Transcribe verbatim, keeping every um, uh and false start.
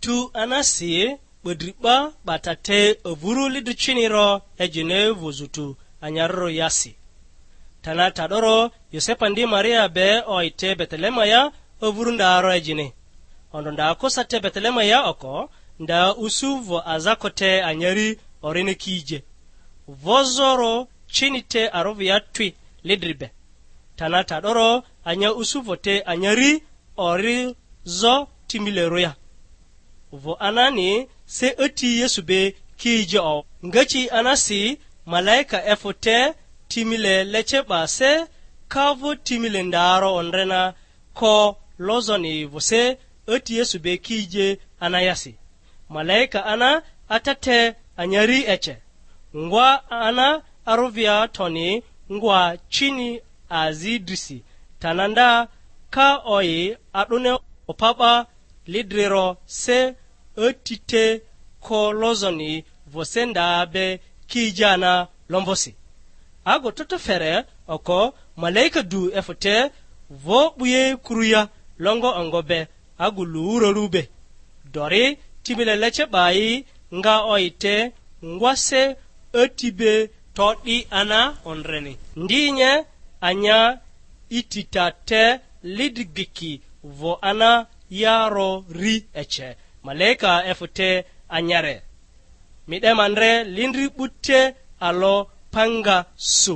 Tu anasi 'bodri 'ba 'bata te avuru lidri cini ro ejini vᴜzᴜ tu anyarᴜrᴜ yasi. Tana ta'doro Yosepa ndi Maria be o'i te Betelema ya avuru nda ro ejini. Ondro nda kosa te Betelema ya oko, nda usu vᴜ aza ko te anyari orini kije. Vozoro cini te arovᴜ ya twi lidri be. Tana ta'doro anya usu vᴜ te anyari ori zo timilerᴜ ya. Vᴜ anani se ati Yesu be ki ije o. Ngaci anasi malaika efᴜ te timile lece 'ba se ka vᴜ timile ndaro ondre na ko lozoni vᴜ se ati Yesu be ki ije anayasi. Malaika ana ata te anyari ece. Ngwa ana arovia toni ngwa cini azi drisi, tana nda ka oyi a'dᴜni opa 'ba lidriro se ati te ko lozoni vose nda be ki ija na lomvosi. Ago toto fere oko malaika du efᴜ te vo 'buye kuruya longo ongo be agu luurarᴜ be. Dori timile lece 'bayi nga o'i te ngwase ati be to'di ana ondreni. Ndi nye anya itita te lidri giki vo ana yaro ri ece. Malaika efᴜ te anyare. Mi 'de ma ndre lindri 'bute alo panga su.